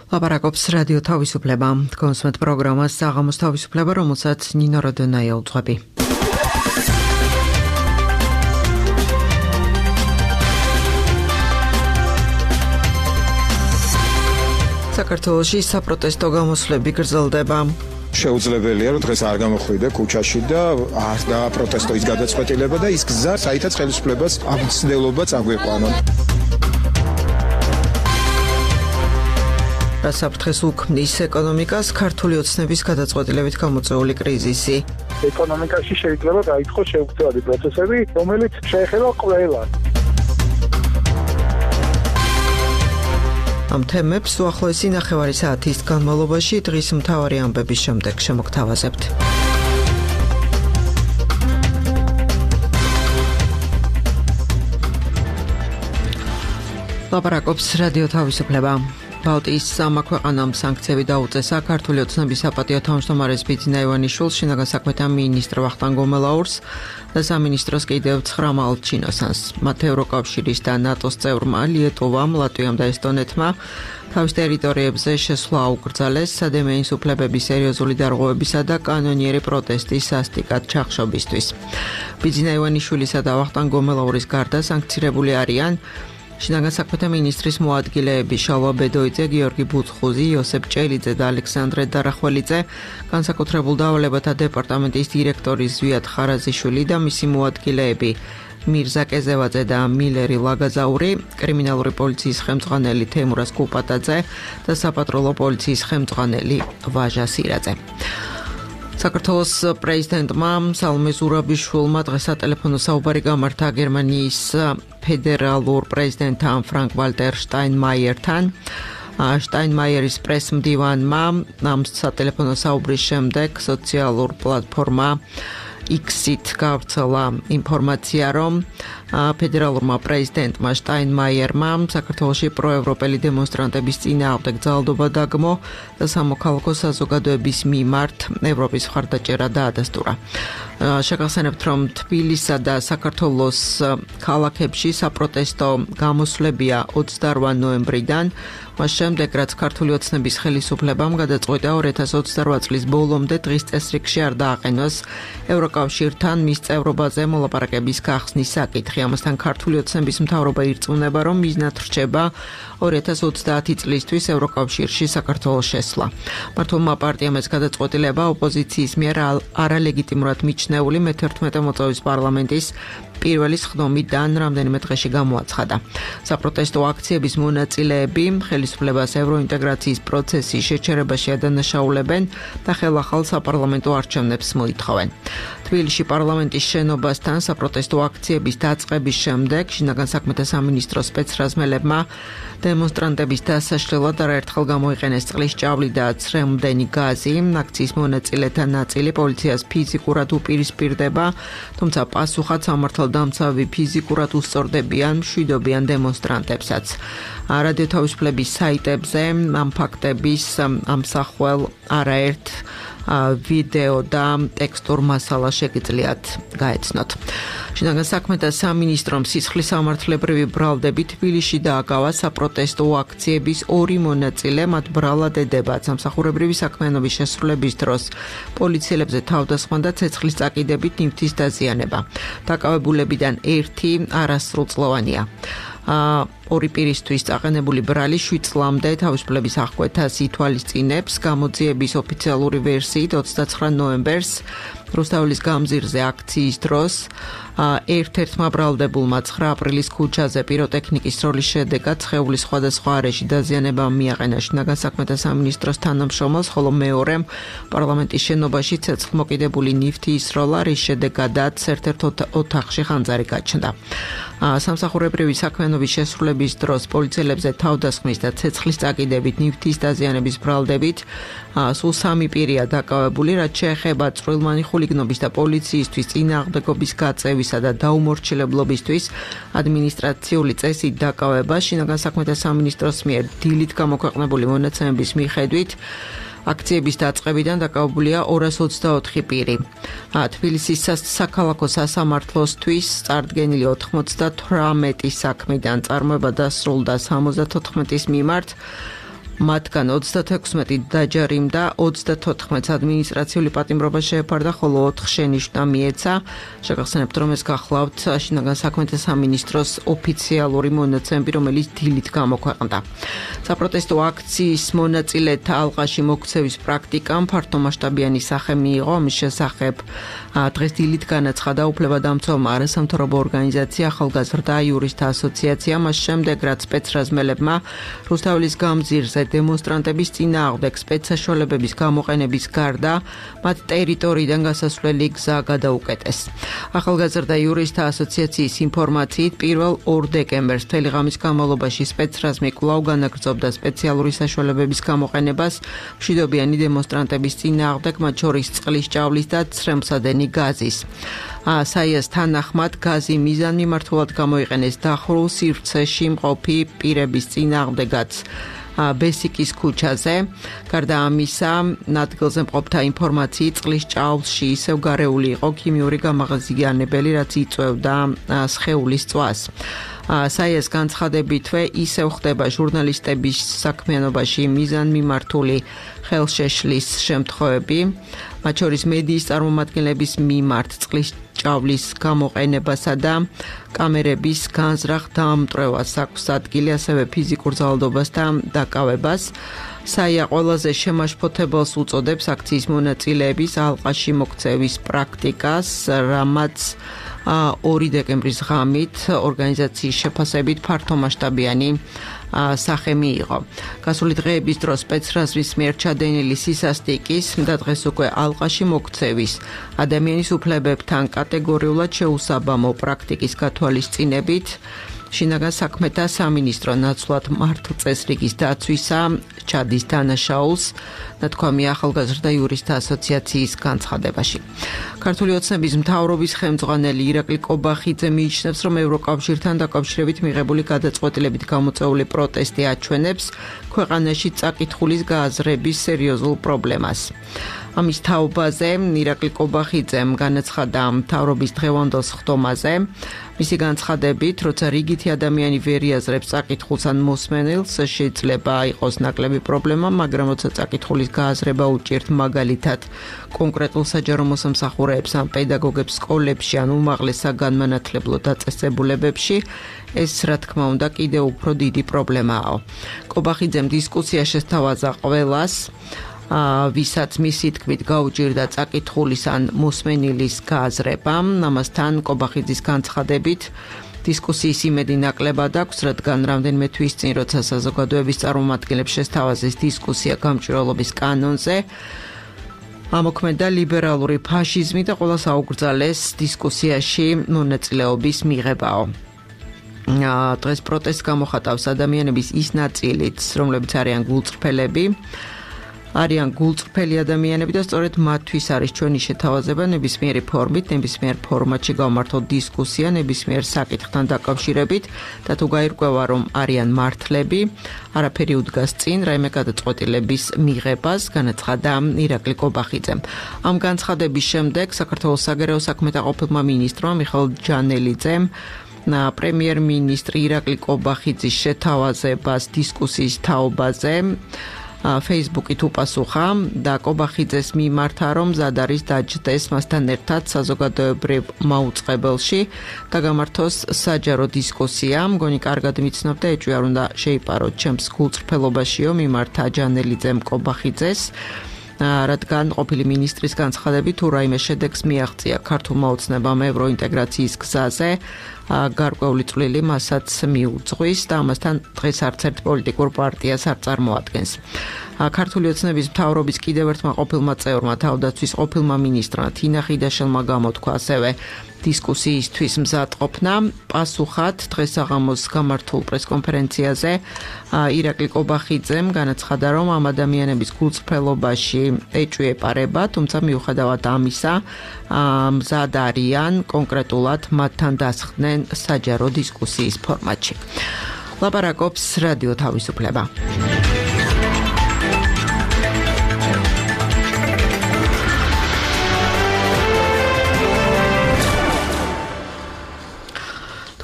ლაპარაკობს რადიო თავისუფლება. კონსუმენტ პროგრამას საღამოს თავისუფლება, რომელსაც ნინო როდონაია უძღვები. საქართველოში საპროტესტო გამოსვლები გრძელდება. შეუძლებელია, რომ დღეს არ გამოხვიდე ქუჩაში და არ დააპროტესტო ის გადაწყვეტილება და ის გზა, საითაც ხელისუფლებას ამ ცდილობაც აგვიყვანონ. საფრთხეს უქმნის ეკონომიკას ქართული ოცნების გადაწყვეტილებით გამოწვეული კრიზისი. ეკონომიკაში შეიძლება გაიწყოს შეუცვლელი პროცესები, რომელიც შეეხება ყველას. ამ თემებს უახლოესი ნახევარი საათის განმავლობაში დღის მთავარი ამბების შემდეგ შემოგთავაზებთ. ლაპარაკობს რადიო თავისუფლება. ბალტიის სამმა ქვეყანამ სანქციები დაუწესა ქართული ოცნების საპატიო თავმჯდომარეს ბიძინა ივანიშვილს, შინაგან საქმეთა მინისტრ ვახტანგ გომელაურს და სამინისტროს კიდევ 9 მალჩინოსანს. მათ ევროკავშირის და ნატოს წევრმა ლიეტოვამ, ლატვიამ და ესტონეთმა თავის ტერიტორიებზე შესვლა აუკრძალეს სადემეის უფლებების სერიოზული დარღვევებისა და კანონიერი პროტესტის სასტიკად ჩახშობისთვის. ბიძინა ივანიშვილისა და ვახტანგ გომელაურის გარდა სანქცირებული არიან შინაგან საქმეთა მინისტრის მოადგილეები შალვა ბედოიძე, გიორგი ბუცხუზი, იოსებ ჭელიძე და ალექსანდრე დარახველიძე, განსაკუთრებულ დავალებათა დეპარტამენტის დირექტორი ზვიად ხარაზიშვილი და მისი მოადგილეები მირზა კეზევაძე და მილერი ლაგაზაური, კრიმინალური პოლიციის ხელმძღვანელი თემურაზ კუპატაძე და საპატრულო პოლიციის ხელმძღვანელი ვაჟა სირაძე. საქართველოს პრეზიდენტმა სალომე ზურაბიშვილმა დღეს სატელეფონო საუბარი გამართა გერმანიის ფედერალურ პრეზიდენტთან ფრანკ ვალტერ შტაინმაიერთან. შტაინმაიერის პრესმდივანმა ამ სატელეფონო საუბრის შემდეგ სოციალურ პლატფორმა X-ით გავრცელა ინფორმაცია, რომ ფედერალურმა პრეზიდენტმა შტაინმაიერმა საქართველოში პროევროპელი დემონსტრანტების წინააღმდეგ ძალადობა დაგმო და სამოქალაქო საზოგადოების მიმართ ევროპის მხარდაჭერა დაადასტურა. შეგახსენებთ, რომ თბილისსა და საქართველოს ქალაქებში საპროტესტო გამოსვლებია 28 ნოემბრიდან, მას შემდეგ, რაც ქართული ოცნების ხელისუფლებამ გადაწყვიტა 2028 წლის ბოლომდე დღის წესრიგში არ დააყენოს ევროკავშირთან მის წევრობაზე მოლაპარაკების გახსნის საკითხი. ამასთან ქართული ოცნების მთავრობა ირწმუნება, რომ მიზნად რჩება 2030 წლისთვის ევროკავშირში საქართველოს შესვლა. მართლმა პარტიამ ეს გადაწყვეტილება ოპოზიციის მიერ არალეგიტიმურად მიჩნეული მე-11 მოწვევის პარლამენტის პირველი სხდომიდან რამდენიმე დღეში გამოაცხადა. საპროტესტო აქციების მონაწილეები ხელისუფლებას ევროინტეგრაციის პროცესის შეჩერებაში ადანაშაულებენ და ხელახალ საპარლამენტო არჩევნებს მოითხოვენ. თბილისში პარლამენტის შენობასთან საპროტესტო აქციების დაწყების შემდეგ შინაგან საქმეთა სამინისტროს სპეცრაზმელებმა დემონსტრანტების დასაშლელად არაერთხელ გამოიყენეს წყლის ჭავლი და ცრემლდენი გაზი. აქციის მონაწილეთა ნაწილი პოლიციას ფიზიკურად უპირისპირდება, თუმცა პასუხად სამართალდამცავი ფიზიკურად უსწორდებიან, მშვიდობიან დემონსტრანტებსაც. რადიო თავისუფლების საიტებზე ამ ფაქტების ამსახველ არაერთ ვიდეო და ტექსტურ მასალა შეგიძლიათ გაეცნოთ. შინაგან საქმეთა სამინისტრომ სისხლის სამართლებრივი ბრალდები თბილისში დააკავა საპროტესტო აქციების 2 მონაწილე, მათ ბრალად ედებათ სამსახურებრივი საქმიანობის შესრულების დროს პოლიციელებზე თავდასხმა და ცეცხლის წაკიდებით ნივთის დაზიანება. დაკავებულებიდან 1 არასრულწლოვანია. 2 პირისთვის წაყენებული ბრალი 7 წლამდე თავისუფლების აღკვეთას ითვალისწინებს. გამოძიების ოფიციალური ვერსიით 29 ნოემბერს რუსთაველის გამზირზე აქციის დროს ერთ-ერთმა ბრალდებულმა 9 აპრილის ქუჩაზე პიროტექნიკის სროლის შედეგად სხეულის სხვადასხვა არეში დაზიანება მიაყენა შინაგან საქმეთა სამინისტროს თანამშრომელს, ხოლო მეორემ პარლამენტის შენობაში ცეცხლმოკიდებული ნივთი ისროლა, რის შედეგადაც ერთ-ერთ ოთახში ხანძარი გაჩნდა. სამსახურებრივი საქმიანობის შესრულების დროს პოლიციელებზე თავდასხმის და ცეცხლის წაკიდებით ნივთის დაზიანების ბრალდებით სულ 3 პირია დაკავებული, რაც შეეხება წვრილმანი ხულიგნობის და პოლიციისთვის წინააღმდეგობის გაწევისა და დაუმორჩილებლობისთვის ადმინისტრაციული წესით დაკავება. შინაგან საქმეთა სამინისტროს მიერ დილით გამოქვეყნებული მონაცემების მიხედვით აქციების დაწყებიდან დაკავებულია 224 პირი. თბილისის საქალაქო სასამართლოსთვის წარდგენილი 98 საქმიდან წარმოება დასრულდა 74-ის მიმართ მათგან 36 დაჯარიმდა, 34 ადმინისტრაციული პატიმრობა შეეფარდა, ხოლო 4 შენიშვნა მიეცა. შეგახსენებთ, რომ ეს გახლავთ შინაგან საქმეთა სამინისტროს ოფიციალური მონაცემები, რომელიც დილით გამოქვეყნდა. საპროტესტო აქციის მონაწილეთა ალყაში მოქცევის პრაქტიკამ ფართომასშტაბიანი სახე მიიღო. ამის შესახებ დღეს დილით განაცხადა უფლებადამცველმა არასამთავრობო ორგანიზაცია ახალგაზრდა იურისტთა ასოციაცია, მას შემდეგ რაც სპეცრაზმელებმა რუსთაველის გამზირზე დემონსტრანტების წინააღმდეგ სპეცსაშუალებების გამოყენების გარდა მათ ტერიტორიიდან გასასვლელი გზა გადაუკეტეს. ახალგაზრდა იურისტთა ასოციაციის ინფორმაციით 1 დეკემბერს მთელი ღამის განმავლობაში სპეცრაზმი კვლავ განაგრძობდა სპეციალური საშუალებების გამოყენებას მშვიდობიანი დემონსტრანტების წინააღმდეგ, მათ შორის წყლის ჭავლის და ცრემლსადენი გაზის. საიას თანახმად გაზი მიზანმიმართულად გამოიყენეს დახრულ სივრცეში მყოფი პირების წინააღმდეგაც ბესიკის ქუჩაზე. გარდა ამისა, ადგილზე მყოფთა ინფორმაციით წყლის ჭავლში ისევ გარეული იყო ქიმიური გამაღაზიანებელი, რაც იწვევდა სხეულის წვას. საიას განცხადებითვე ისევ ხდება ჟურნალისტების საქმიანობაში მიზანმიმართული ხელშეშლის შემთხვევები, მათ შორის მედიის წარმომადგენლების მიმართ წყლის ჭავლის გამოყენებასა და კამერების განზრახ დამტვრევას აქვს ადგილი, ასევე ფიზიკურ ძალადობას და დაკავებას. საია ყველაზე შემაშფოთებელს უწოდებს აქციის მონაწილეების ალყაში მოქცევის პრაქტიკას, რამაც 2 დეკემბრის ღამით ორგანიზაციის შეფასებით ფართომასშტაბიანი სახე მიიღო. გასული დღეების დროს სპეცრაზმის მიერ ჩადენილი სისასტიკის და დღეს უკვე ალყაში მოქცევის ადამიანის უფლებებთან კატეგორიულად შეუსაბამო პრაქტიკის გათვალისწინებით შინაგან საქმეთა სამინისტრო ნაცვლად მართლწესრიგის დაცვისა ჩადის დანაშაულს, ნათქვამია ახალგაზრდა იურისტთა ასოციაციის განცხადებაში. ქართული ოცნების მთავრობის ხელმძღვანელი ირაკლი კობახიძე მიიჩნევს, რომ ევროკავშირთან დაკავშირებით მიღებული გადაწყვეტილებით გამოწვეული პროტესტი აჩვენებს ქვეყანაში წაკითხulis გააზრების სერიოზულ პრობლემას. ამის თაობაზე ირაკლი კობახიძემ განაცხადა მთავრობის დღევანდელ სხდომაზე. მისი განცხადებით, როცა რიგითი ადამიანი ვერ იაზრებს წაკითხულს ან მოსმენელს, შეიძლება იყოს ნაკლები პრობლემა, მაგრამ როცა წაკითხulis გააზრება უჭირთ მაგალითად კონკრეტულ საჯარო მოსამსახურეებს ან პედაგოგებს სკოლებში ან უმაღლეს საგანმანათლებლო დაწესებულებებში, ეს რა თქმა უნდა კიდევ უფრო დიდი პრობლემაა. კობახიძემ დისკუსია შესთავაზა ყველას, ვისაც მისი თქმით გაუჭირდა წაკითხulis ან მოსმენილის გააზრება. ამასთან კობახიძის განცხადებით დისკუსიის იმედი ნაკლებად აქვს, რადგან რამდენიმე თვის წინ, როცა საზოგადოების წარმომადგენლებს შესთავაზეს დისკუსია გამჭვირვალობის კანონზე, ამოქმედა ლიბერალური ფაშიზმი და ყველას აუკრძალეს დისკუსიაში მონაწილეობის მიღებაო. დღეს პროტესტს გამოხატავს ადამიანების ის ნაწილიც, რომლებიც არიან გულწრფელი ადამიანები და სწორედ მათთვის არის ჩვენი შეთავაზება ნებისმიერი ფორმით, ნებისმიერ ფორმატში გავმართოთ დისკუსია ნებისმიერ საკითხთან დაკავშირებით და თუ გაირკვევა, რომ არიან მართლები, არაფერი უდგას წინ რაიმე გადაწყვეტილების მიღებას, განაცხადა ირაკლი კობახიძემ. ამ განცხადების შემდეგ საქართველოს საგარეო საქმეთა ყოფილმა მინისტრმა მიხეილ ჯანელიძემ პრემიერ-მინისტრი ირაკლი კობახიძის შეთავაზებას დისკუსიის თაობაზე Facebook-ით უპასუხა და კობახიძეს მიმართა, რომ მზად არის დაჯდეს მასთან ერთად საზოგადოებრივ მაუწყებელში და გამართოს საჯარო დისკუსია. მგონი კარგად მიცნობ და ეჭვი არ უნდა შეიპაროთ ჩემს გულწრფელობაშიო, მიმართა ჯანელიძემ კობახიძეს, რადგან ყოფილი მინისტრის განცხადებით თუ რაიმე შედეგს მიაღწია ქართულმა ოცნებამ ევროინტეგრაციის გზაზე, გარკვეული წვლილი მასაც მიუძღვის და ამასთან დღეს არც ერთ პოლიტიკურ პარტიას არ წარმოადგენს. ქართული ოცნების მთავრობის კიდევ ერთმა ყოფილმა წევრმა, თავდაცვის ყოფილმა მინისტრმა თინა ხიდაშელმა გამოთქვა ასევე დისკუსიისთვის მზადყოფნა. პასუხად დღეს საღამოს გამართულ პრესკონფერენციაზე ირაკლი კობახიძემ განაცხადა, რომ ამ ადამიანების გულწრფელობაში ეჭვი ეპარება, თუმცა მიუხედავად ამისა, მზად არიან კონკრეტულად მათთან დასხდნენ საჯარო დისკუსიის ფორმატში. ლაპარაკობს რადიო თავისუფლება.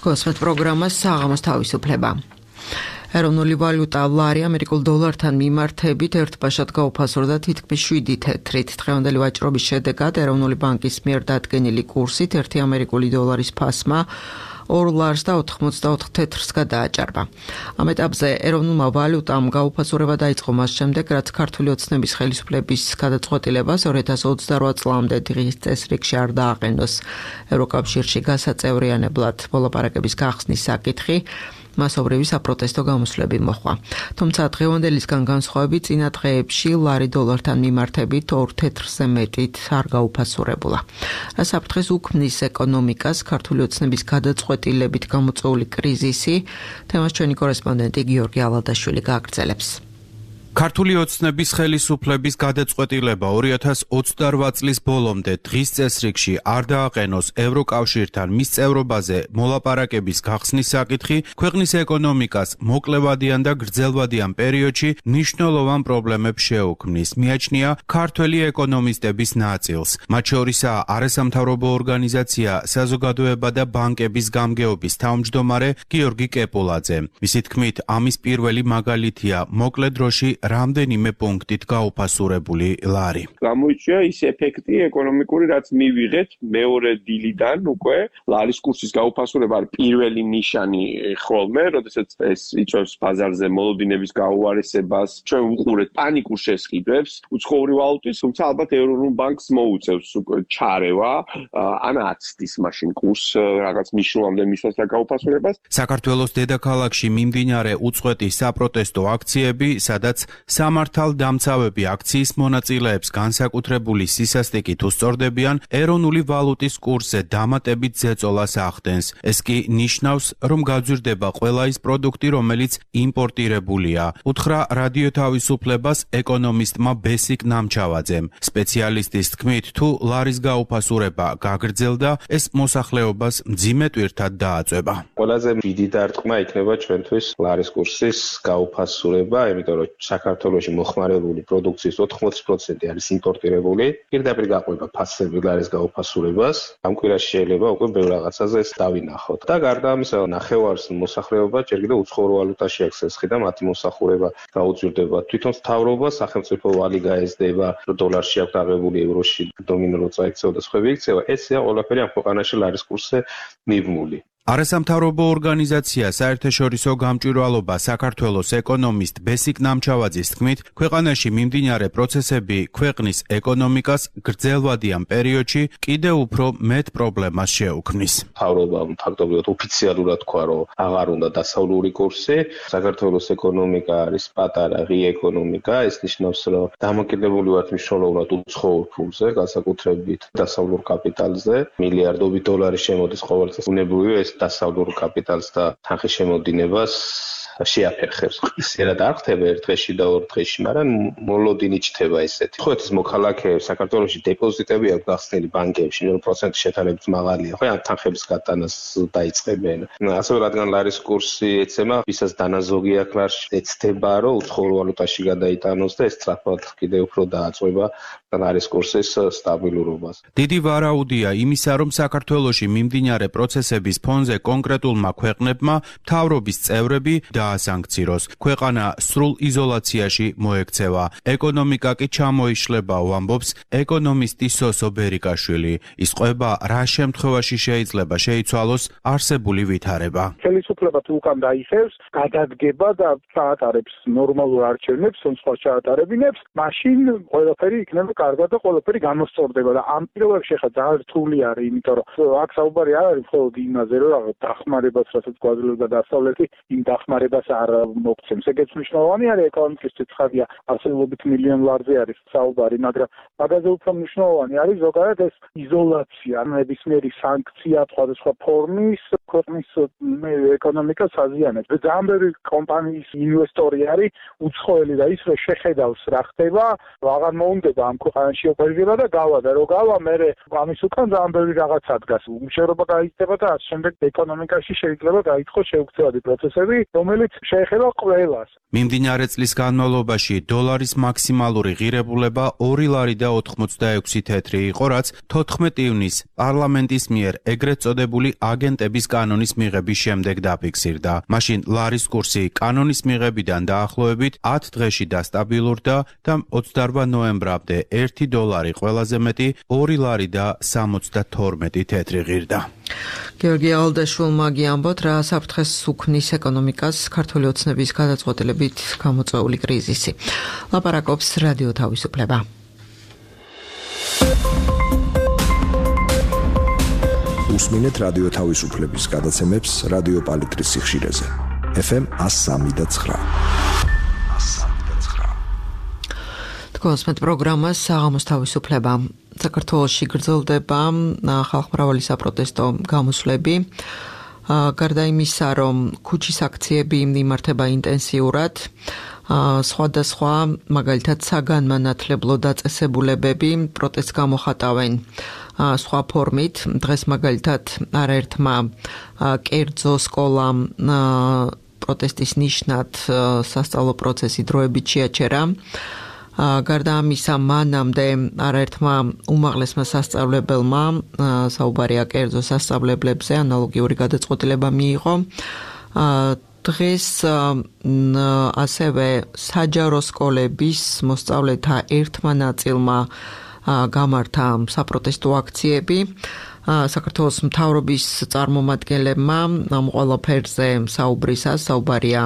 გოსმეთ პროგრამას საღამოს თავისუფლება. ეროვნული ვალუტა ლარი ამერიკულ დოლართან მიმართებით ერთბაშად გაუფასურდა თითქმის 7 თეთრით. დღევანდელი ვაჭრობის შედეგად ეროვნული ბანკის მიერ დადგენილი კურსით 1 ამერიკული დოლარის ფასმა 2 ლარს და 84 თეთრს გადააჭარბა. ამ ეტაპზე ეროვნულმა ვალუტამ გაუფასურება დაიწყო მას შემდეგ, რაც ქართული ოცნების ხელისუფლების გადაწყვეტილებას 2028 წლამდე დღის წესრიგში არ დააყენოს. ევროკავშირში გასაწევრიანებლად მოლაპარაკების გახსნის საკითხი მასობრივი საპროტესტო გამოსვლები მოჰყვა. თუმცა დღევანდელისგან განსხვავებით წინა დღეებში ლარი დოლართან მიმართებით 2 თეთრზე მეტით არ გაუფასურებულა. რა საფრთხეს უქმნის ეკონომიკას ქართული ოცნების გადაწყვეტილებით გამოწვეული კრიზისი, თემას ჩვენი კორესპონდენტი გიორგი ალადაშვილი გააგრძელებს. ქართული ოცნების ხელისუფლების გადაწყვეტილება 2028 წლის ბოლომდე დღის წესრიგში არ დააყენოს ევროკავშირთან მის წევრობაზე მოლაპარაკების გახსნის საკითხი ქვეყნის ეკონომიკას მოკლევადიან და გრძელვადიან პერიოდში მნიშვნელოვან პრობლემებს შეუქმნის, მიაჩნია ქართველი ეკონომისტების ნაწილს. მათ შორისაა არასამთავრობო ორგანიზაცია საზოგადოება და ბანკების გამგეობის თავმჯდომარე გიორგი კეპულაძე. მისი თქმით, ამის პირველი მაგალითია მოკლე დროში რამდენიმე პუნქტით გაუფასურებული ლარი. გამოიწვია ის ეფექტი ეკონომიკური, რაც მივიღეთ მეორე დილიდან უკვე ლარის კურსის გაუფასურება არის პირველი ნიშანი ხოლმე, როდესაც ეს იწვევს ბაზარზე მოლოდინების გაუარესებას, ჩვენ ვუყურეთ პანიკურ შესყიდვებს უცხოური ვალუტის, თუმცა ალბათ ეროვნულ ბანკს მოუწევს უკვე ჩარევა, ან აცდის მაშინ კურს რაღაც მნიშვნელოვანამდე მისვას და გაუფასურებას. საქართველოს დედაქალაქში მიმდინარე უწყვეტი საპროტესტო აქციები, სადაც სამართალდამცავები აქციის მონაწილეებს განსაკუთრებული სისასტიკით უსწორდებიან, ეროვნული ვალუტის კურსზე დამატებით ზეწოლას ახდენს. ეს კი ნიშნავს, რომ გაძვირდება ყველა ის პროდუქტი, რომელიც იმპორტირებულია, უთხრა რადიო თავისუფლებას ეკონომისტმა ბესიკ ნამჩავაძემ. სპეციალისტის თქმით, თუ ლარის გაუფასურება გაგრძელდა, ეს მოსახლეობას მძიმე ტვირთად დააწვება. ყველაზე დიდი დარტყმა იქნება ჩვენთვის ლარის კურსის გაუფასურება, იმიტომ რომ საქართველოში მოხმარებული პროდუქციის 80% არის იმპორტირებული. პირდაპირ გაყვება ფასები ლარის გაუფასურებას. ამ კვირაში შეიძლება უკვე ბევრ რაღაცაზე ეს დავინახოთ. და გარდა ამისა, ნახევარს მოსახლეობა ჯერ კიდევ უცხოურ ვალუტაში აქვს ესხი და მათი მოსახურება გაუძვირდება. თვითონ მთავრობა, სახელმწიფო ვალი გაეზდება, რომ დოლარში აქვს აღებული ევროში დომინო წაიქცევა და სხვები იქცევა. ესეა ყველაფერი ამ ქვეყანაში ლარის კურსზე მიბმული. არასამთავრობო ორგანიზაცია საერთაშორისო გამჭვირვალობა საქართველოს ეკონომისტ ბესიკ ნამჩავაძის თქმით, ქვეყანაში მიმდინარე პროცესები ქვეყნის ეკონომიკას გრძელვადიან პერიოდში კიდევ უფრო მეტ პრობლემას შეუქმნის. მთავრობამ ფაქტობრივად ოფიციალურად თქვა, რომ აღარ უნდა დასავლური კურსი. საქართველოს ეკონომიკა არის პატარა ღია ეკონომიკა, ეს ნიშნავს, რომ დამოკიდებული ვართ მნიშვნელოვნად უცხოურ ფულზე, განსაკუთრებით დასავლურ კაპიტალზე. მილიარდობით დოლარი შემოდის ყოველ წელს. უნებრივია ეს დასავლურ კაპიტალს და თანხის შემოდინებას შეაფერხებს. ისერად არ ხდება ერთ დღეში და ორ დღეში, მაგრამ მოლოდინი ჩდება ესეთი. ხოეთის მოქალაქეებს საქართველოში დეპოზიტები აქვს გახსნილი ბანკებში, 0% შეთანხმებით მაღალია. ხო, ამ თანხების გატანას დაიწყებენ. ასევე რადგან ლარის კურსი ეცემა, ვისაც დანაზოგი აქვს ლარში, ეცდება, რომ უცხოურ ვალუტაში გადაიტანოს და ეს სწრაფად კიდევ უფრო დააწვევა ლარის კურსის სტაბილურობას. დიდი ვარაუდია იმისა, რომ საქართველოში მიმდინარე პროცესების ფონზე კონკრეტულმა ქვეყნებმა მთავრობის წევრები დაასანქციროს. ქვეყანა სრულ იზოლაციაში მოექცევა. ეკონომიკა კი ჩამოიშლებაო, ამბობს ეკონომისტი სოსო ბერიკაშვილი. ის ყვება, რა შემთხვევაში შეიძლება შეიცვალოს არსებული ვითარება. ხელისუფლება თუ უკან დაიხევს, გადადგება და ჩაატარებს ნორმალურ არჩევნებს, სხვა ჩაატარებინებს, მაშინ ყველაფერი იქნება კარგად და ყველაფერი გამოსწორდება და ამ პირობებში ხა ძალიან რთული არის, იმიტომ რომ აქ საუბარი არ არის მხოლოდ იმაზე, რომ რაღაც დახმარებას, რასაც გვაძლევდა დასავლეთი, იმ დახმარებას არ მოგცემს. ეგეც მნიშვნელოვანი არის ეკონომიკისთვის, ხარია ასეულობით მილიონ ლარზე არის საუბარი, მაგრამ მაგაზე უფრო მნიშვნელოვანი არის ზოგადად ეს იზოლაცია, ნებისმიერი სანქცია სხვადასხვა ფორმის ქვეყნის ეკონომიკას აზიანებს. ძალიან ბევრი კომპანიის ინვესტორი არის უცხოელი და ის რომ შეხედავს რა ხდება, აღარ მოუნდება ამ ხანში ოპერირება და გავა და რო გავა მე ამის უკან ძალიან ბევრი რაღაცა დგას. უმუშევრობა გაიწდება და ამ შემდეგ ეკონომიკაში შეიძლება გაიწყოს შეუქცევადი პროცესები, რომელიც შეეხება ყველას. მიმდინარე წლის განმავლობაში დოლარის მაქსიმალური ღირებულება 2 ლარი და 86 თეთრი იყო, რაც 14 ივნის პარლამენტის მიერ ეგრეთ წოდებული აგენტების კანონის მიღების შემდეგ დაფიქსირდა. მაშინ ლარის კურსი კანონის მიღებიდან დაახლოებით 10 დღეში დასტაბილურდა და 28 ნოემბრამდე 1 დოლარი ყველაზე მეტი 2 ლარი და 72 თეთრი ღირდა. გიორგი ალდაშვილმა გიამბოთ, რა საფრთხეს უქმნის ეკონომიკას ქართული ოცნების გადაწყვეტილებით გამოწვეული კრიზისი. ლაპარაკობს რადიო თავისუფლება. უსმინეთ რადიო თავისუფლების გადაცემებს რადიო პალიტრის სიხშირეზე. FM 103.9. თქვენს პროგრამას საღამოს თავისუფლება. საქართველოში გრძელდება ხალხმრავალი საპროტესტო გამოსვლები. გარდა იმისა, რომ ქუჩის აქციები იმართება ინტენსიურად, სხვადასხვა მაგალითად საგანმანათლებლო დაწესებულებები პროტესტს გამოხატავენ სხვა ფორმით. დღეს მაგალითად არაერთმა კერძო სკოლამ პროტესტის ნიშნად სასწავლო პროცესი დროებით შეაჩერა. გარდა ამისა, მანამდე არაერთმა უმაღლესმა სასწავლებელმა საუბარია კერძო სასწავლებლებზე ანალოგიური გადაწყვეტილება მიიღო. დღეს ასევე საჯარო სკოლების მოსწავლეთა ერთმა ნაწილმა გამართა საპროტესტო აქციები. საქართველოს მთავრობის წარმომადგენლებმა ამ ყველაფერზე საუბარია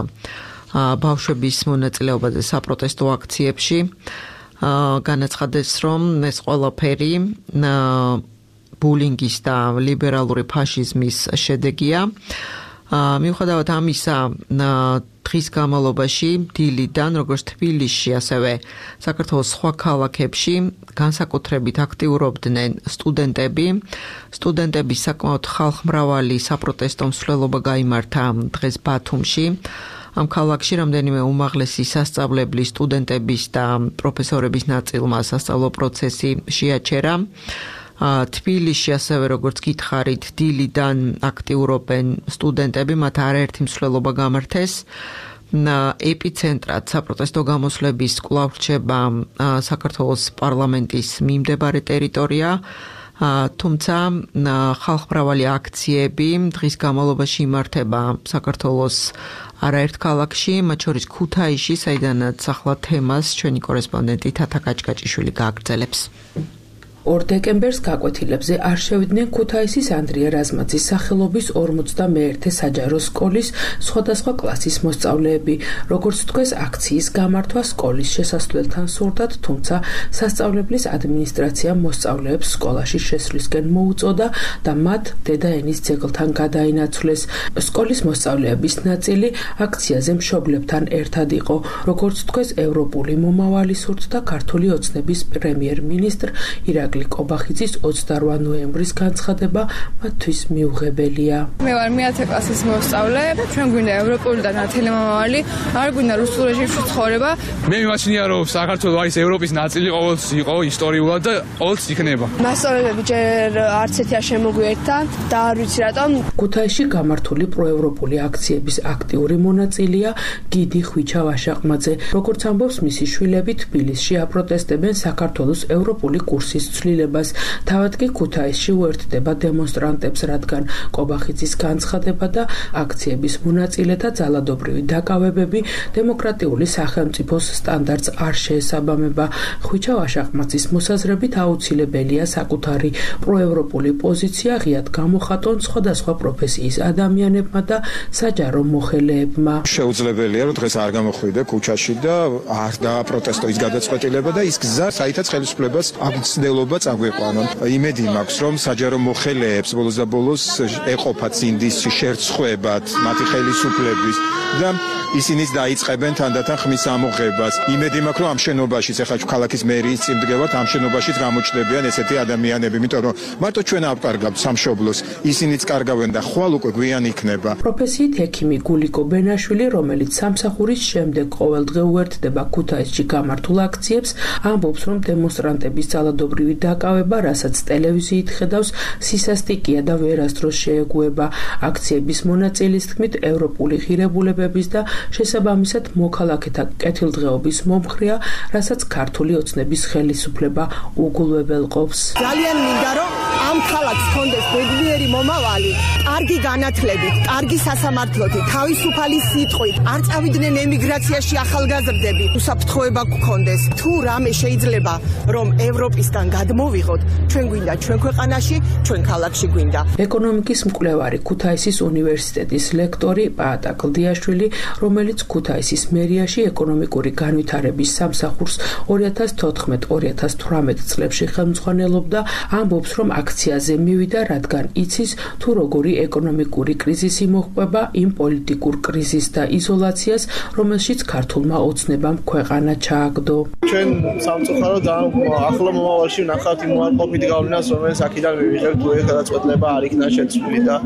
ბავშვების მონაწილეობაზე საპროტესტო აქციებში. განაცხადეს, რომ ეს ყველაფერი ბულინგის და ლიბერალური ფაშიზმის შედეგია. მიუხედავად ამისა, დღის განმავლობაში დილიდან, როგორც თბილისში, ასევე საქართველოს სხვა ქალაქებში განსაკუთრებით აქტიურობდნენ სტუდენტები. სტუდენტების საკმაოდ ხალხმრავალი საპროტესტო მსვლელობა გაიმართა დღეს ბათუმში. ამ ქალაქში რამდენიმე უმაღლესი სასწავლებლის სტუდენტების და პროფესორების ნაწილმა სასწავლო პროცესი შეაჩერა. თბილისში ასევე როგორც გითხარით, დილიდან აქტიურობენ სტუდენტები, მათ არაერთი მსვლელობა გამართეს. ეპიცენტრად საპროტესტო გამოსვლების კვლავ რჩება საქართველოს პარლამენტის მიმდებარე ტერიტორია. თუმცა ხალხმრავალი აქციები დღის განმავლობაში იმართება საქართველოს არაერთ ქალაქში, მათ შორის ქუთაისში, საიდანაც ახლა თემას ჩვენი კორესპონდენტი თათა კაჭკაჭიშვილი გააგრძელებს. 2 დეკემბერს გაკვეთილებზე არ შევიდნენ ქუთაისის ანდრია რაზმაძის სახელობის 51 საჯარო სკოლის სხვადასხვა კლასის მოსწავლეები. როგორც თქვეს, აქციის გამართვა სკოლის შესასვლელთან სურდათ, თუმცა სასწავლებლის ადმინისტრაციამ მოსწავლეებს სკოლაში შესვლისკენ მოუწოდა და მათ დედაენის ძეგლთან გადაინაცვლეს. სკოლის მოსწავლეების ნაწილი აქციაზე მშობლებთან ერთად იყო. როგორც თქვეს, ევროპული მომავალი სურდა ქართული ოცნების პრემიერ-მინისტრ ირაკლი კობახიძის 28 ნოემბრის განცხადება მათთვის მიუღებელია. მე ვარ მე-10 კლასის მოსწავლე, ჩვენ გვინდა ევროპული და ნათელი მომავალი, არ გვინდა რუსულ რეჟიმში ცხოვრება. მე მიმაჩნია, რომ საქართველოს არის ევროპის ნაწილი, ყოველთვის იყო ისტორიულად და ყოველთვის იქნება. მასწავლებლები ჯერ არც ერთი არ შემოგვიერთდა და არ ვიცი რატომ. ქუთაისში გამართული პროევროპული აქციების აქტიური მონაწილეა გიდი ხვიჩა ვაშაყმაძე. როგორც ამბობს მისი შვილები, თბილისში აპროტესტებენ საქართველოს ევროპული კურსის ცვლილებას. თავად კი ქუთაისში უერთდება დემონსტრანტებს, რადგან კობახიძის განცხადება და აქციების მონაწილეთა ძალადობრივი დაკავებები დემოკრატიული სახელმწიფოს სტანდარტს არ შეესაბამება. ხვიჩა ვაშაყმაძის მოსაზრებით აუცილებელია საკუთარი პროევროპული პოზიცია ღიად გამოხატონ სხვადასხვა პროფესიის ადამიანებმა და საჯარო მოხელეებმა. შეუძლებელია, რომ დღეს არ გამოხვიდე ქუჩაში და არ დააპროტესტო ის გადაწყვეტილება და ის გზა, საითაც ხელისუფლებას აბცდელობა მცდელობა წაგვიყვანონ. იმედი მაქვს, რომ საჯარო მოხელეებს ბოლოს და ბოლოს ეყოფათ ინდის შერცხვებად მათი ხელისუფლების და ისინიც დაიწყებენ თანდათან ხმის ამოღებას. იმედი მაქვს, რომ ამ შენობაშიც ახლა ქალაქის მერიის წინ დგევათ, ამ შენობაშიც გამოჩნდებიან ესეთი ადამიანები, იმიტომ რომ მარტო ჩვენ ავკარგავთ სამშობლოს, ისინიც კარგავენ და ხვალ უკვე გვიან იქნება. პროფესიით ექიმი გულიკო ბენაშვილი, რომელიც სამსახურის შემდეგ ყოველდღე უერთდება ქუთაისში გამართულ აქციებს, ამბობს, რომ დემონსტრანტების ძალადობრივი დაკავება, რასაც ტელევიზიით ხედავს, სისასტიკია და ვერასდროს შეეგუება. აქციების მონაწილის თქმით, ევროპული ღირებულებების და შესაბამისად მოქალაქეთა კეთილდღეობის მომხრეა, რასაც ქართული ოცნების ხელისუფლება უგულვებელყოფს. ძალიან მინდა რომ ამ ქალაქს ჰქონდეს ბედნიერი მომავალი, კარგი განათლებით, კარგი სასამართლოთი, თავისუფალი სიტყვით, არ წავიდნენ ემიგრაციაში ახალგაზრდები, უსაფრთხოება გქონდეს. თუ რამე შეიძლება რომ ევროპისგან გადმოვიღოთ, ჩვენ გვინდა ჩვენ ქვეყანაში, ჩვენ ქალაქში გვინდა. ეკონომიკის მკვლევარი, ქუთაისის უნივერსიტეტის ლექტორი პაატა კლდიაშვილი, რომელიც ქუთაისის მერიაში ეკონომიკური განვითარების სამსახურს 2014-2018 წლებში ხელმძღვანელობდა, ამბობს, რომ აქციაზე მივიდა, რადგან იცის, თუ როგორი ეკონომიკური კრიზისი მოჰყვება იმ პოლიტიკურ კრიზისს და იზოლაციას, რომელშიც ქართულმა ოცნებამ ქვეყანა ჩააგდო. ჩვენ სამწუხაროდ ახლო მომავალში ვნახავთ იმ უარყოფით გავლენას, რომელიც აქედან მივიღებთ, თუ ეს გადაწყვეტილება არ იქნა შეცვლილი და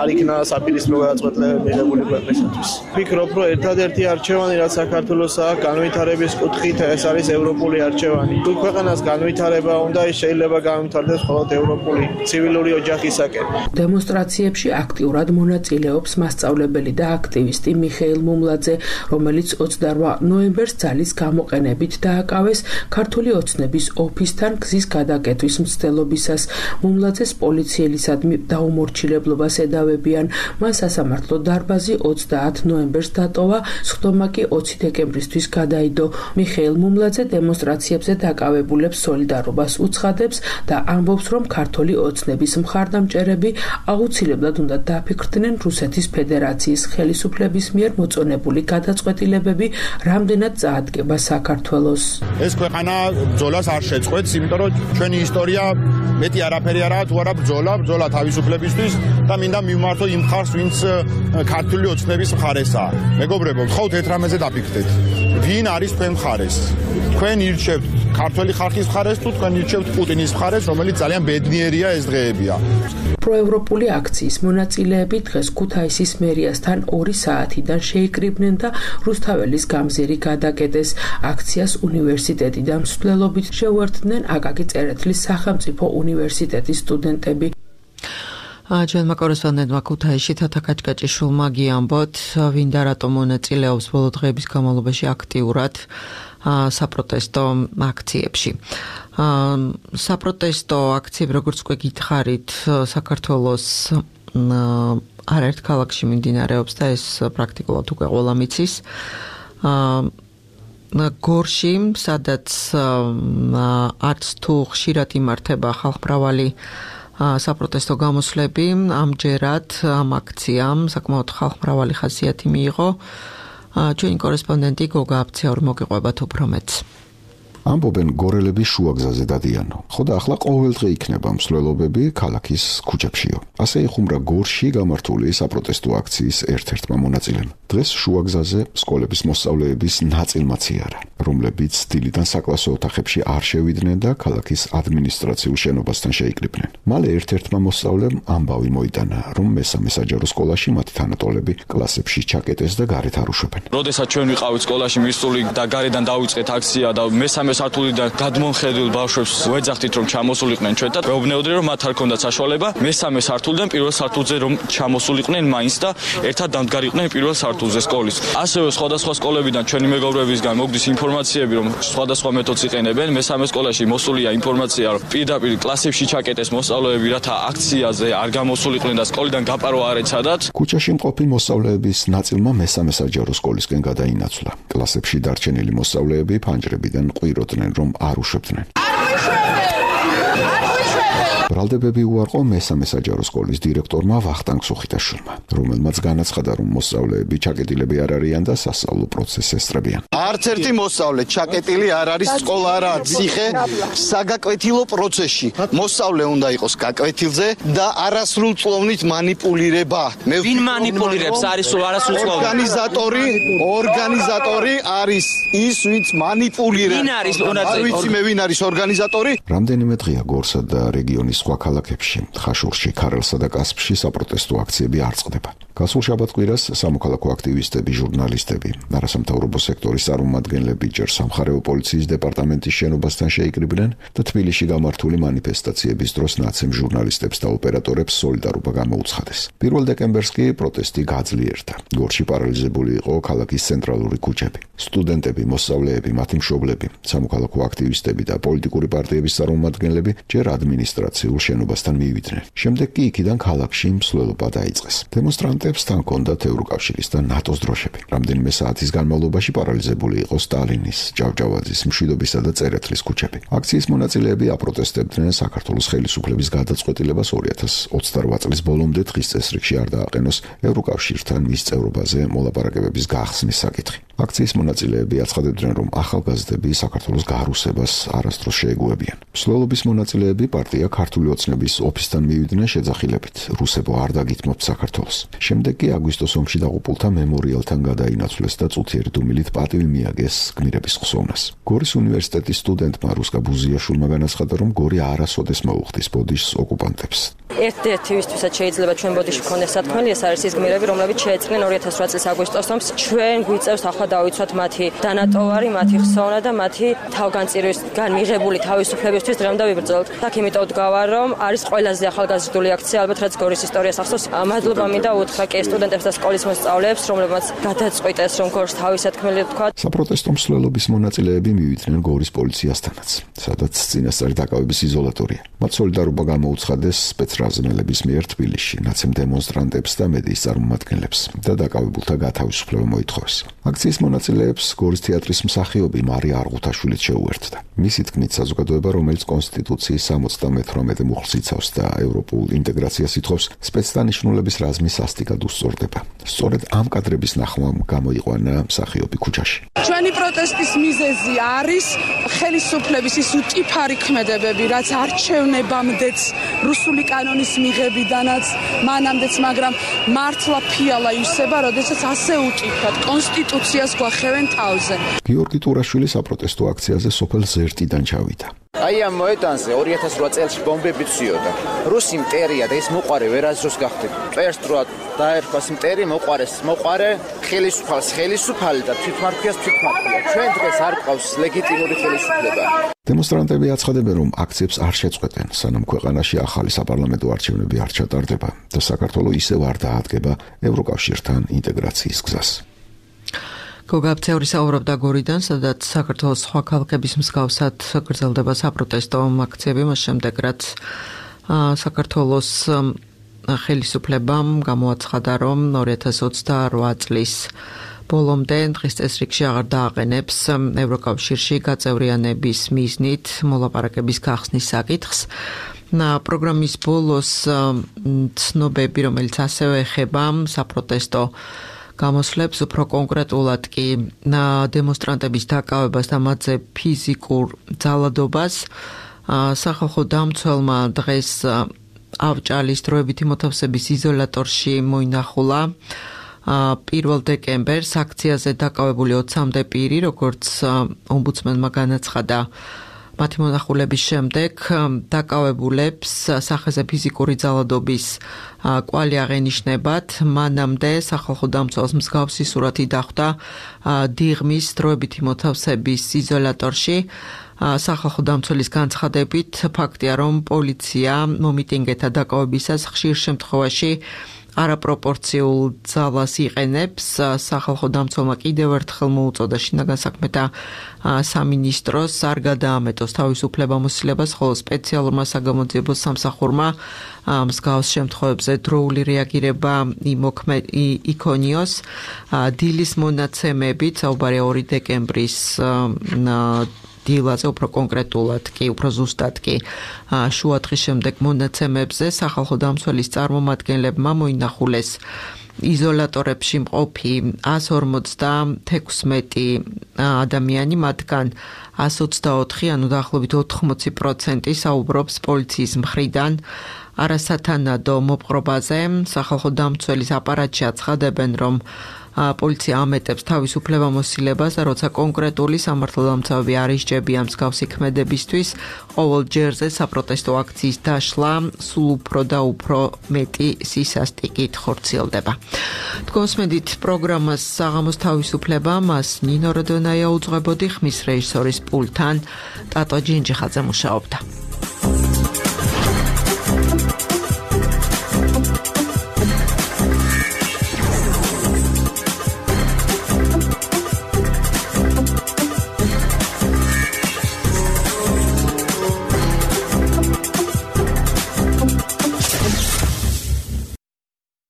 არ იქნა საპირისპირო გადაწყვეტილება მიღებული ქვეყნისათვის. ვფიქრობ, რომ ერთადერთი არჩევანი, რაც საქართველოსაა განვითარების კუთხით, ეს არის ევროპული არჩევანი. თუ ქვეყანას განვითარება უნდა, ის შეიძლება განვითარდეს მხოლოდ ევროპული ცივილური ოჯახისაკენ. დემონსტრაციებში აქტიურად მონაწილეობს მასწავლებელი და აქტივისტი მიხეილ მუმლაძე, რომელიც 28 ნოემბერს ძალის გამოყენებით დააკავეს ქართული ოცნების ოფისთან გზის გადაკეტვის მცდელობისას. მუმლაძეს პოლიციელისადმი დაუმორჩილებლობას ედავებიან. მან სასამართლო დარბაზი 30 ნოემბერს დატოვა, სხდომა კი 20 დეკემბრისთვის გადაიდო. მიხეილ მუმლაძე დემონსტრაციებზე დაკავებულებს სოლიდარობას უცხადებს და ამბობს, რომ ქართული ოცნების მხარდამჭერები აუცილებლად უნდა დაფიქრდნენ რუსეთის ფედერაციის ხელისუფლების მიერ მოწონებული გადაწყვეტილებები რამდენად წაადგება საქართველოს. ეს ქვეყანა ბრძოლას არ შეწყვეტს, იმიტომ რომ ჩვენი ისტორია მეტი არაფერი არაა, თუ არა ბრძოლა თავისუფლებისთვის და მინდა მივმართო იმ მხარს, ვინც ქართული ოცნების მხარესაა. მეგობრებო, გთხოვთ ერთ რამეზე დაფიქრდეთ. ვინ არის თქვენ მხარეს? თქვენ ირჩევთ ქართული ხალხის მხარეს თუ თქვენ ირჩევთ პუტინის მხარეს, რომელიც ძალიან ბედნიერია ეს დღეებია. პროევროპული აქციის მონაწილეები დღეს ქუთაისის მერიასთან 2 საათიდან შეიკრიბნენ და რუსთაველის გამზირი გადაკეტეს. აქციას უნივერსიტეტი და მსვლელობით შეუერთდნენ აკაკი წერეთლის სახელმწიფო უნივერსიტეტის სტუდენტები. ჩვენმა კორესპონდენტმა ქუთაისში თათა კაჭკაჭიშვილმა გიამბოთ, ვინდა რატომ მონაწილეობს ბოლო დღეების განმავლობაში აქტიურად საპროტესტო აქციებში. საპროტესტო აქციები, როგორც უკვე გითხარით, საქართველოს არაერთ ქალაქში მიმდინარეობს და ეს პრაქტიკულად უკვე ყველამ იცის. გორში, სადაც არც თუ ხშირად იმართება ხალხმრავალი საპროტესტო გამოსვლები, ამჯერად ამ აქციამ საკმაოდ ხალხმრავალი ხასიათი მიიღო. ჩვენი კორესპონდენტი გოგა აფციური მოგიყვებათ უფრო მეტს. ამბობენ გორელების შუაგზაზე დადიანო. ხო და ახლა ყოველდღე იქნება მსვლელობები ქალაქის ქუჩებშიო. ასე იხუმრა გორში გამართული საპროტესტო აქციის ერთ-ერთმა მონაწილემ. დღეს შუაგზაზე სკოლების მოსწავლეების ნაწილმაც იარა, რომლებიც დილიდან საკლასო ოთახებში არ შევიდნენ და ქალაქის ადმინისტრაციულ შენობასთან შეიკრიბნენ. მალე ერთ-ერთმა მოსწავლემ ამბავი მოიტანა, რომ მესამე საჯარო სკოლაში მათი თანატოლები კლასებში ჩაკეტეს და გარეთ არ უშვებენ. როდესაც ჩვენ ვიყავით სკოლაში მისული და გარედან დავიწყეთ აქცია და მესამე სართულიდან გადმომხედულ ბავშვებს ვეძახდით, რომ ჩამოსულიყვნენ ჩვენთან. მეუბნეოდნენ, რომ მათ არ ქონდათ საშუალება მესამე სართულიდან პირველ სართულზე რომ ჩამოსულიყვნენ მაინც და ერთად დამდგარიყვნენ პირველ სართულზე სკოლის. ასევე სხვადასხვა სკოლებიდან ჩვენი მეგობრებისგან მოგდის ინფორმაციები, რომ სხვადასხვა მეთოდს იყენებენ. მესამე სკოლაში მოსულია ინფორმაცია, რომ პირდაპირ კლასებში ჩაკეტეს მოსწავლეები, რათა აქციაზე არ გამოსულიყვნენ და სკოლიდან გაპარო არ ეცადათ. ქუჩაში მყოფი მოსწავლეების ნაწილმა მესამე საჯარო სკოლისკენ გადაინაცვლა. კლასებში დარჩენილი მოსწავლეები ფანჯრებიდან ყვიროდნენ, რომ არ უშვებდნენ. ბრალდებები უარყო მესამე საჯარო სკოლის დირექტორმა ვახტანგ სუხიტაშვილმა, რომელმაც განაცხადა, რომ მოსწავლეები ჩაკეტილები არ არიან და სასწავლო პროცესს ესწრებიან. არც ერთი მოსწავლე ჩაკეტილი არ არის, სკოლა არაა ციხე, საგაკვეთილო პროცესში. მოსწავლე უნდა იყოს გაკვეთილზე და არასრულწლოვნით მანიპულირება. ვინ მანიპულირებს? არის არასრულწლოვნით. ორგანიზატორი არის ის, ვინც მანიპულირებს. ვინ არის? არ ვიცი მე ვინ არის ორგანიზატორი. რამდენიმე დღეა გორსა და რეგიონის სხვა ქალაქებში, ხაშურში, ქარელსა და კასპში საპროტესტო აქციები არ წყდება. გასულ შაბათ-კვირას სამოქალაქო აქტივისტები, ჟურნალისტები, არასამთავრობო სექტორის წარმომადგენლები ჯერ სამხარეო პოლიციის დეპარტამენტის შენობასთან შეიკრიბნენ და თბილისში გამართული მანიფესტაციების დროს ნაცემ ჟურნალისტებს და ოპერატორებს სოლიდარობა გამოუცხადეს. 1 დეკემბერს კი პროტესტი გაძლიერდა. გორში პარალიზებული იყო ქალაქის ცენტრალური ქუჩები. სტუდენტები, მოსწავლეები, მათი მშობლები, სამოქალაქო აქტივისტები და პოლიტიკური პარტიების წარმომადგენლები ჯერ ადმინისტრაციულ შენობასთან მივიდნენ. შემდეგ კი იქიდან ქალაქში მსვლელობა დაიწყეს. დემონსტრანტებს თან ჰქონდათ ევროკავშირის და ნატოს დროშები. რამდენიმე საათის განმავლობაში პარალიზებული იყო სტალინის, ჭავჭავაძის, მშვიდობისა და წერეთლის ქუჩები. აქციის მონაწილეები აპროტესტებდნენ საქართველოს ხელისუფლების გადაწყვეტილებას 2028 წლის ბოლომდე დღის წესრიგში არ დააყენოს ევროკავშირთან მის წევრობაზე მოლაპარაკებების გახსნის საკითხი. აქციის მონაწილეები აცხადებდნენ, რომ ახალგაზრდები საქართველოს გარუსებას არასდროს შეეგუებიან. მსვლელობის მონაწილეები პარტია ქართული ოცნების ოფისთან მივიდნენ შეძახილებით, რუსებო არ დაგითმობთ საქართველოს. შემდეგ კი აგვისტოს ომში დაღუპულთა მემორიალთან გადაინაცვლეს და წუთიერი დუმილით პატივი მიაგეს გმირების ხსოვნას. გორის უნივერსიტეტის სტუდენტმა რუსკა ბუზიაშვილმა განაცხადა, რომ გორი არასოდეს მოუხდის ბოდიშს ოკუპანტებს. ერთ-ერთი ვისთვისაც შეიძლება ჩვენ ბოდიში გქონდეს სათქმელი, ეს არის ის გმირები, რომლებიც შეეწყვნენ 2008 წლის აგვისტოს ომს. ჩვენ გვიწევს ახლა დავიცვათ მათი დანატოვარი, მათი ხსოვნა და მათი თავგანწირვისგან მიღებული თავისუფლებისთვის დღემდე ვიბრძოლთ. აქ იმიტომ ვდგავარ, რომ არის ყველაზე ახალგაზრდული აქცია, ალბათ რაც გორის ისტორიას ახსოვს. მადლობა მინდა უთხრა კი სტუდენტებს და სკოლის მოსწავლეებს, რომლებმაც გადაწყვიტეს, რომ გორს თავის სათქმელი თქვა. საპროტესტო მსვლელობის მონაწილეები მივიდნენ გორის პოლიციასთანაც, სადაც წინასწარი დაკავების იზოლატორია. მათ სოლიდარობა გამოუცხადეს სპეცრაზმელების მიერ თბილისში, ნაცემ დემონსტრანტებს და მედიის წარმომადგენლებს და დაკავებულთა გათავისუფლება მოითხოვეს. აქციის მონაწილეებს გორის თეატრის მსახიობი მარია არღუთაშვილიც შეუერთდა. მისი თქმით, საზოგადოება, რომელიც კონსტიტუციის 78 მუხლს იცავს და ევროპულ ინტეგრაციას ითხოვს, სპეცდანიშნულების რაზმის სასტიკად უსწორდება. სწორედ ამ კადრების ნახვამ გამოიყვანა მსახიობი ქუჩაში. ჩვენი პროტესტის მიზეზი არის ხელისუფლების ის უტიფარი ქმედებები, რაც არჩევნებამდეც რუსული კანონის მიღებიდანაც მანამდეც, მაგრამ მართლა ფიალა ისება, როდესაც ასე უტიფრად კონსტიტუციას გვახევენ თავზე. გიორგი ტურაშვილი საპროტესტო აქციაზე სოფელ ზერტიდან ჩავიდა. აი ამ მოედანზე 2008 წელს ბომბები ცვიოდა. რუსი მტერია და ეს მოყარე ვერაზროს გახდით. წერს თუ დაერქვას მტერი, მოყარე ხელისუფალი და თვითმარქვიას თვითმარქვია. ჩვენ დღეს არ ყავს ლეგიტიმური ხელისუფლება. დემონსტრანტები აცხადებენ, რომ აქციებს არ შეწყვეტენ, სანამ ქვეყანაში ახალი საპარლამენტო არჩევნები არ ჩატარდება და საქართველო ისევ არ დაადგება ევროკავშირთან ინტეგრაციის გზას. გოგაბცევრი საუბრობდა გორიდან, სადაც საქართველოს სხვა ქალაქების მსგავსად გრძელდება საპროტესტო აქციები, მას შემდეგ რაც საქართველოს ხელისუფლებამ გამოაცხადა, რომ 2028 წლის ბოლომდე დღის წესრიგში აღარ დააყენებს ევროკავშირში გაწევრიანების მიზნით მოლაპარაკების გახსნის საკითხს. პროგრამის ბოლოს ცნობები, რომელიც ასევე ეხება საპროტესტო გამოსვლებს, უფრო კონკრეტულად კი დემონსტრანტების დაკავებას და მათზე ფიზიკურ ძალადობას, სახალხო დამცველმა დღეს ავჭალის დროებითი მოთავსების იზოლატორში მოინახულა 1 დეკემბერს აქციაზე დაკავებული 20-მდე პირი, როგორც ომბუდსმენმა განაცხადა. მათი მონახულების შემდეგ დაკავებულებს სახეზე ფიზიკური ძალადობის კვალი აღენიშნებათ. მანამდე სახალხო დამცველს მსგავსი სურათი დახვდა დიღმის დროებითი მოთავსების იზოლატორში. სახალხო დამცველის განცხადებით, ფაქტია, რომ პოლიცია მომიტინგეთა დაკავებისას ხშირ შემთხვევაში არაპროპორციულ ძალას იყენებს. სახალხო დამცველმა კიდევ ერთხელ მოუწოდა შინაგან საქმეთა სამინისტროს არ გადაამეტოს თავისუფლებამოსილებას, ხოლო სპეციალურმა საგამოძიებო სამსახურმა მსგავს შემთხვევებზე დროული რეაგირება იქონიოს. დილის მონაცემებით, საუბარია 2 დეკემბრის დილაზე, უფრო კონკრეტულად კი, უფრო ზუსტად კი, შუადღის შემდეგ მონაცემებზე სახალხო დამცველის წარმომადგენლებმა მოინახულეს იზოლატორებში მყოფი 156 ადამიანი, მათგან 124, ანუ დაახლოებით 80% საუბრობს პოლიციის მხრიდან არასათანადო მოპყრობაზე. სახალხო დამცველის აპარატში აცხადებენ, რომ პოლიცია ამეტებს თავისუფლებამოსილებას და როცა კონკრეტული სამართალდამცავები არ ისჯებიან მსგავსი ქმედებისთვის, ყოველ ჯერზე საპროტესტო აქციის დაშლა სულ უფრო და უფრო მეტი სისასტიკით ხორციელდება. თქვენსმენდით პროგრამას საღამოს თავისუფლება, მას ნინო როდონაია უძღვებოდი, ხმის რეჟისორის პულტთან ტატო ჯინჯიხაძე მუშაობდა.